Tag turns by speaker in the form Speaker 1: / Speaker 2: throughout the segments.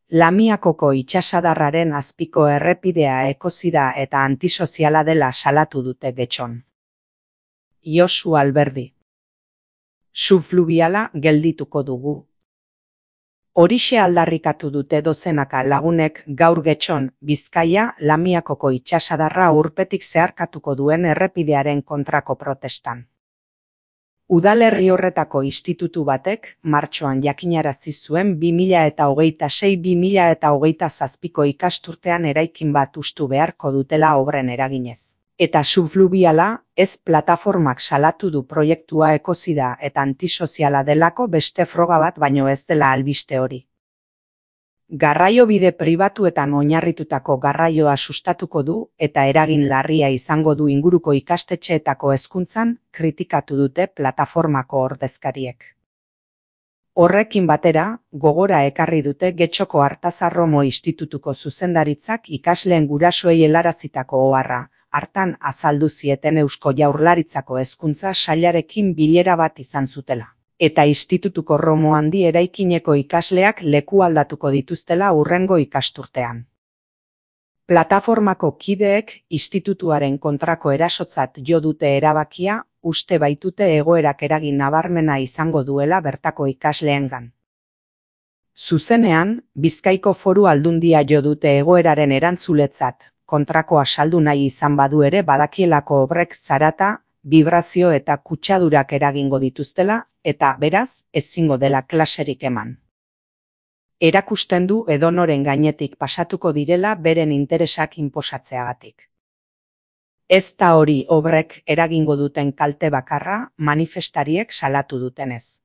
Speaker 1: Lamiakoko itsasadarraren azpiko errepidea ekozida eta antisoziala dela salatu dute Getxon. Josu Alberdi. Subfluviala geldituko dugu. Horixe aldarrikatu dute dozenaka lagunek gaur Getxon, Bizkaia, Lamiakoko itsasadarra urpetik zeharkatuko duen errepidearen kontrako protestan. Udalerri horretako institutu batek martxoan jakinarazi zuen 2026-2027ko ikasturtean eraikin bat hustu beharko dutela obren eraginez. Eta subfluviala ez plataformak salatu du proiektua ekozida eta antisoziala delako beste froga bat baino ez dela albiste hori. Garraiobide pribatuetan oinarritutako garraioa sustatuko du eta eragin larria izango du inguruko ikastetxeetako hezkuntzan, kritikatu dute plataformako ordezkariek. Horrekin batera, gogora ekarri dute Getxoko Artazarromo Institutuko zuzendaritzak ikasleen gurasoei helarazitako oharra, hartan azaldu zieten Eusko Jaurlaritzako hezkuntza sailarekin bilera bat izan zutela. Eta institutuko Romo handi eraikineko ikasleak leku aldatuko dituztela hurrengo ikasturtean. Plataformako kideek institutuaren kontrako erasotzat jo dute erabakia, uste baitute egoerak eragin nabarmena izango duela bertako ikasleengan. Zuzenean, Bizkaiko Foru Aldundia jo dute egoeraren erantzuletzat, kontrakoa saldu nahi izan badu ere badakielako obrek zarata, vibrazio eta kutsadurak eragingo dituztela, eta beraz, ezingo dela klaserik eman. Erakusten du edonoren gainetik pasatuko direla beren interesak inposatzeagatik. Ez da hori obrek eragingo duten kalte bakarra manifestariek salatu dutenez.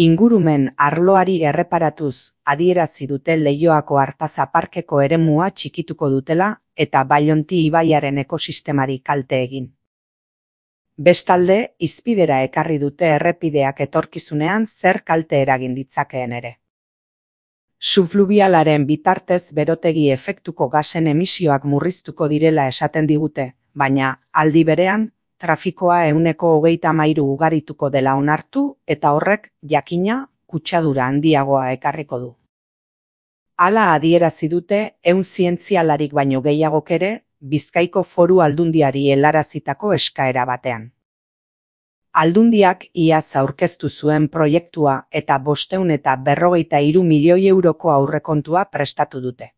Speaker 1: Ingurumen arloari erreparatuz adierazi dute Leioako Artaza Parkeko eremua txikituko dutela eta Baionti ibaiaren ekosistemari kalte egin. Bestalde, izpidera ekarri dute errepideak etorkizunean zer kalte eragin ditzakeen ere. Subfluvialaren bitartez berotegi efektuko gasen emisioak murriztuko direla esaten digute, baina, aldi berean, trafikoa 30% ugarituko dela onartu eta horrek, jakina, kutsadura handiagoa ekarriko du. Hala adierazi dute zientzialarik baino gehiagok ere, Bizkaiko Foru Aldundiari helarazitako eskaera batean. Aldundiak iaz aurkeztu zuen proiektua eta 553 milioi euroko aurrekontua prestatu dute.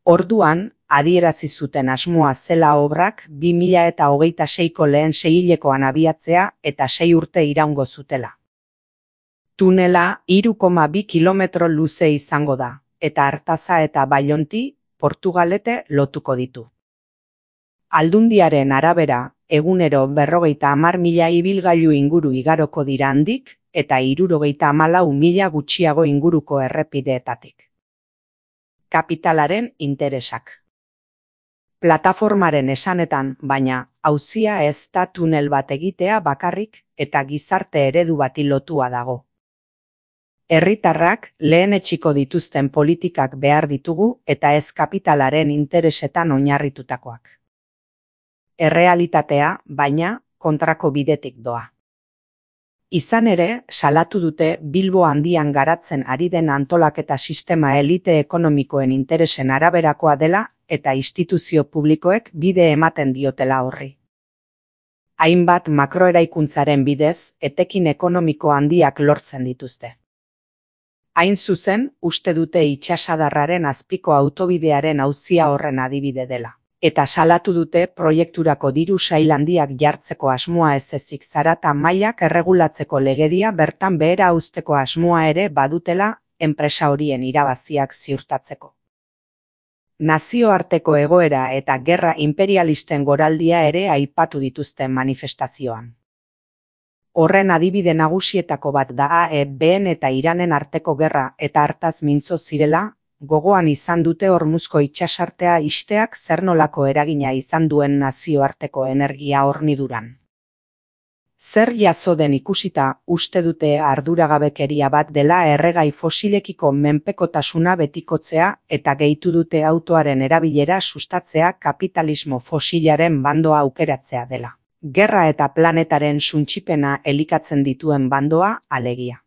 Speaker 1: Orduan, adierazi zuten asmoa zela obrak 2026ko lehen seihilekoan abiatzea eta 6 urte iraungo zutela. Tunela 3,2 kilometro luze izango da, eta Artaza eta Baionti, Portugalete lotuko ditu. Aldundiaren arabera, egunero 50.000 ibilgailu inguru igaroko dira handik, eta 74.000 gutxiago inguruko errepideetatik. Kapitalaren interesak. Plataformaren esanetan, baina, auzia ez da tunel bat egitea bakarrik eta gizarte eredu bati lotua dago. Herritarrak lehenetsiko dituzten politikak behar ditugu eta ez kapitalaren interesetan oinarritutakoak. Errealitatea, baina, kontrako bidetik doa. Izan ere, salatu dute Bilbo handian garatzen ari den antolaketa sistema elite ekonomikoen interesen araberakoa dela eta instituzio publikoek bide ematen diotela horri. Hainbat makroeraikuntzaren bidez, etekin ekonomiko handiak lortzen dituzte. Hain zuzen, uste dute itsasadarraren azpiko autobidearen auzia horren adibide dela. Eta salatu dute proiekturako diru sail handiak jartzeko asmoa ez ezik zarata mailak erregulatzeko legedia bertan behera uzteko asmoa ere badutela enpresa horien irabaziak ziurtatzeko. Nazioarteko egoera eta gerra imperialisten goraldia ere aipatu dituzten manifestazioan. Horren adibide nagusietako bat da AEBn eta Iranen arteko gerra eta hartaz mintzo zirela, gogoan izan dute Hormuzko itsasartea ixteak zer nolako eragina izan duen nazioarteko energia horniduran. Zer jaso den ikusita uste dute arduragabekeria bat dela erregai fosilekiko menpekotasuna betikotzea eta gehitu dute autoaren erabilera sustatzea kapitalismo fosilaren bandoa aukeratzea dela. Gerra eta planetaren suntsipena elikatzen dituen bandoa alegia.